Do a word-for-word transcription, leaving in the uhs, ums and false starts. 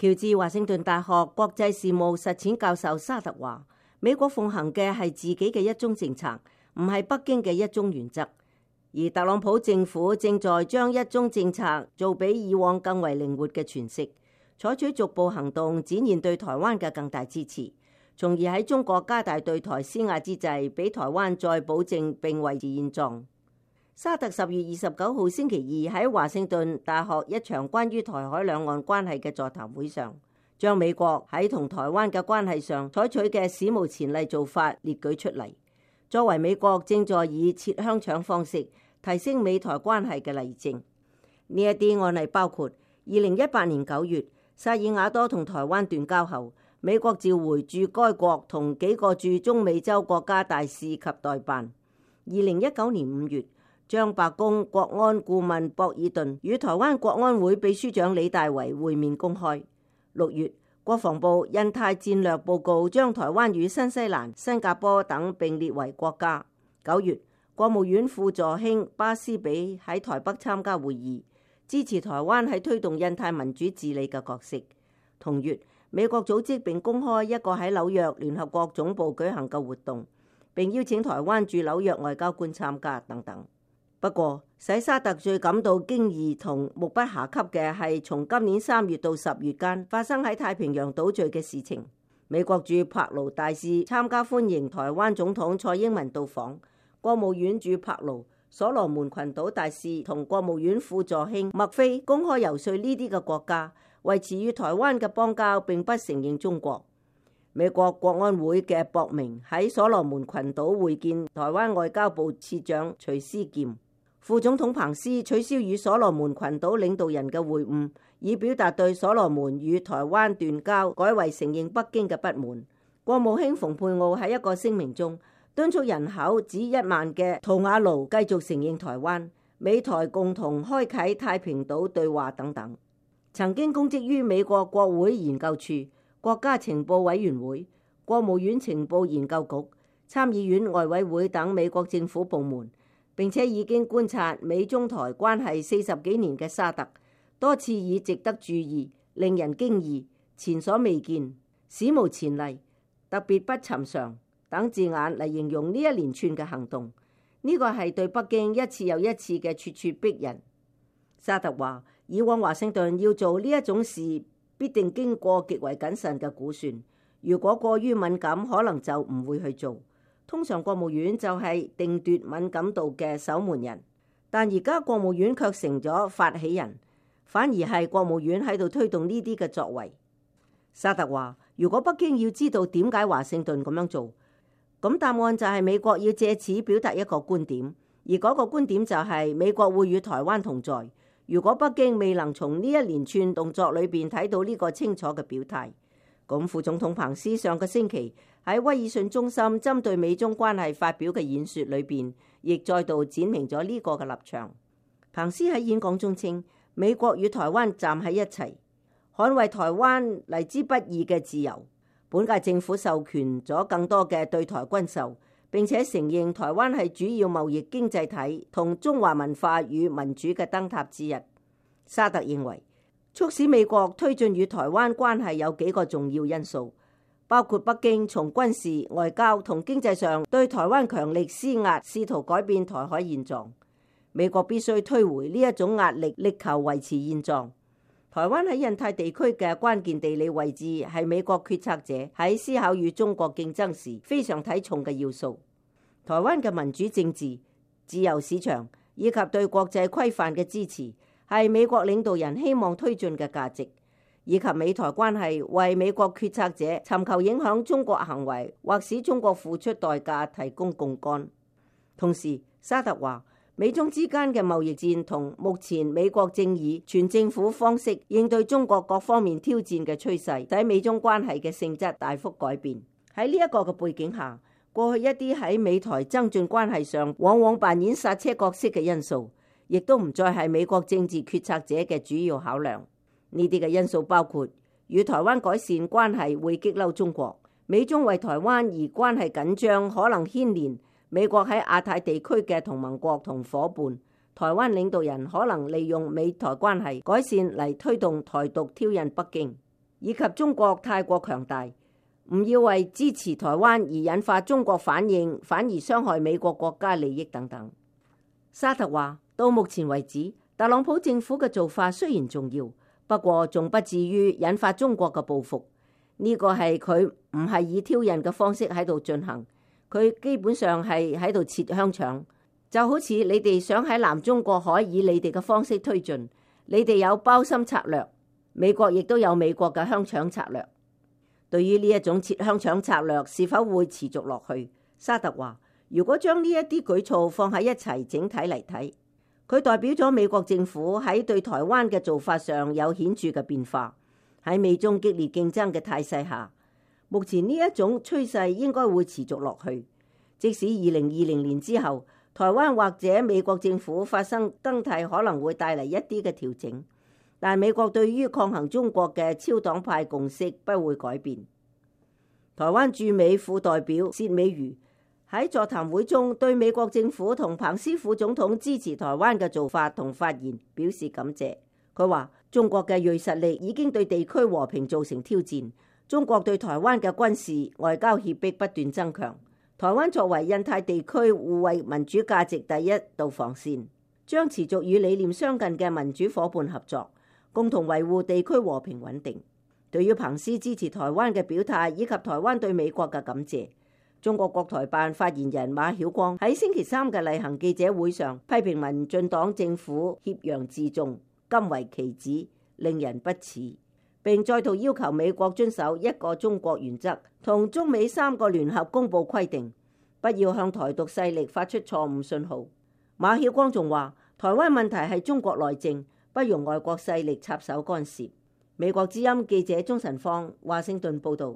喬治華盛頓大學國際事務實踐教授沙特話：美國奉行嘅係自己嘅一中政策，唔係北京嘅一中原則。而特朗普政府正在將一中政策做比以往更為靈活嘅詮釋，採取逐步行動，展現對台灣嘅更大支持，從而喺中國加大對台施壓之際，俾台灣再保證並維持現狀。沙特十月二十九號星期二喺華盛頓大學一場關於台海兩岸關係嘅座談會上，將美國喺同台灣嘅關係上採取嘅史無前例做法列舉出嚟，作為美國正在以切香腸方式提升美台關係嘅例證。呢一啲案例包括二零一八年九月，薩爾瓦多同台灣斷交後，美國召回駐該國同幾個駐中美洲國家大使及代辦。二零一九年五月，將白宮國安顧問博爾頓與台灣國安會秘書長李大維會面公開。六月，國防部印太戰略報告將台灣與新西蘭、新加坡等並列為國家。九月，國務院副助卿巴斯比喺台北參加會議，支持台灣喺推動印太民主治理嘅角色。同月，美國組織並公開一個喺紐約聯合國總部舉行嘅活動，並邀請台灣駐紐約外交官參加等等。不過，使沙特最感到驚異同目不暇給嘅係從今年三月到十月間發生喺太平洋島嶼嘅事情。美國駐柏勞大使參加歡迎台灣總統蔡英文到訪，國務院駐柏勞、所羅門群島大使同國務院副助卿麥菲公開游說呢啲嘅國家維持與台灣嘅邦交，並不承認中國。美國國安會嘅博明喺所羅門群島會見台灣外交部次長徐思劍。副總統彭斯取消與所羅門群島領導人嘅會晤，以表達對所羅門與台灣斷交改為承認北京嘅不滿。國務卿蓬佩奧喺一個聲明中敦促人口只一萬嘅圖瓦盧繼續承認台灣，美台共同開啟太平島對話等等。曾經公職於美國國會研究處、國家情報委員會、國務院情報研究局、參議院外委會等美國政府部門，並且已經觀察美中台關係四十幾年嘅沙特，多次以值得注意、令人驚異、前所未見、史無前例、特別不尋常等字眼嚟形容呢一連串嘅行動。呢個係對北京一次又一次嘅咄咄逼人。沙特話，以往華盛頓要做呢一種事，必定經過極為謹慎嘅估算，如果過於敏感，可能就唔會去做。通常國務院就係定奪敏感度嘅守門人，但而家國務院卻成咗發起人，反而係國務院喺度推動呢啲嘅作為。沙特話，如果北京要知道點解華盛頓咁樣做，咁答案就係美國要借此表達一個觀點，而嗰個觀點就係美國會與台灣同在。如果北京未能從呢一連串動作裏邊睇到呢個清楚嘅表態，咁副總統彭斯上個星期喺威爾遜中心針對美中關係發表嘅演說裏邊，亦再度展明咗呢個嘅立場。彭斯喺演講中稱，美國與台灣站喺一齊，捍衛台灣嚟之不易嘅自由。本屆政府授權咗更多嘅對台軍售，並且承認台灣係主要貿易經濟體同中華文化與民主嘅燈塔之一。沙特認為，促使美國推進與台灣關係有幾個重要因素，包括北京從軍事、外交同經濟上對台灣強力施壓，試圖改變台海現狀。美國必須推回呢一種壓力，力求維持現狀。台灣喺印太地區嘅關鍵地理位置係美國決策者喺思考與中國競爭時非常睇重嘅要素。台灣嘅民主政治、自由市場以及對國際規範嘅支持，係美國領導人希望推進嘅價值，以及美台關係為美國決策者尋求影響中國行為或使中國付出代價提供槓桿。同時，沙特話，美中之間嘅貿易戰同目前美國正以全政府方式應對中國各方面挑戰嘅趨勢，使美中關係嘅性質大幅改變。喺呢一個嘅背景下，過去一啲喺美台增進關係上往往扮演剎車角色嘅因素，亦都唔再係美國政治決策者嘅主要考量。呢啲嘅因素包括與台灣改善關係會激嬲中國，美中為台灣而關係緊張，可能牽連美國喺亞太地區嘅同盟國同夥伴。台灣領導人可能利用美台關係改善嚟推動台獨挑釁北京。以及中國太過強大，唔要為支持台灣而引發中國反應，反而傷害美國國家利益等等。沙特話，到目前為止，特朗普政府嘅做法雖然重要，不過仲不至於引發中國嘅報復。呢個係佢唔係以挑釁嘅方式喺度進行，佢基本上係喺度切香腸，就好似你哋想喺南中國海以你哋嘅方式推進，你哋有包心策略，美國亦都有美國嘅香腸策略。對於呢一種切香腸策略是否會持續落去，沙特話，如果將呢一啲舉措放喺一齊整體嚟睇，佢代表咗美國政府喺對台灣嘅做法上有顯著嘅變化。喺美中激烈競爭嘅態勢下，目前呢一種趨勢應該會持續落去。即使二零二零年之後，台灣或者美國政府發生更替，可能會帶嚟一啲嘅調整，但美國對於抗衡中國嘅超黨派共識不會改變。台灣駐美副代表薛美如喺座談會中對美國政府同彭斯副總統支持台灣嘅做法同發言表示感謝。佢話，中國嘅銳實力已經對地區和平造成挑戰，中國對台灣嘅軍事外交脅迫不斷增強。台灣作為印太地區護衛民主價值第一道防線，將持續與理念相近嘅民主夥伴合作，共同維護地區和平穩定。對於彭斯支持台灣嘅表態以及台灣對美國嘅感謝，中國國台辦發言人馬曉光喺星期三嘅例行記者會上批評民進黨政府挾洋自重，甘為其旨，令人不齒，並再度要求美國遵守一個中國原則同中美三個聯合公報規定，不要向台獨勢力發出錯誤信號。馬曉光仲話，台灣問題係中國內政，不容外國勢力插手干涉。美國之音記者鍾晨芳華盛頓報道。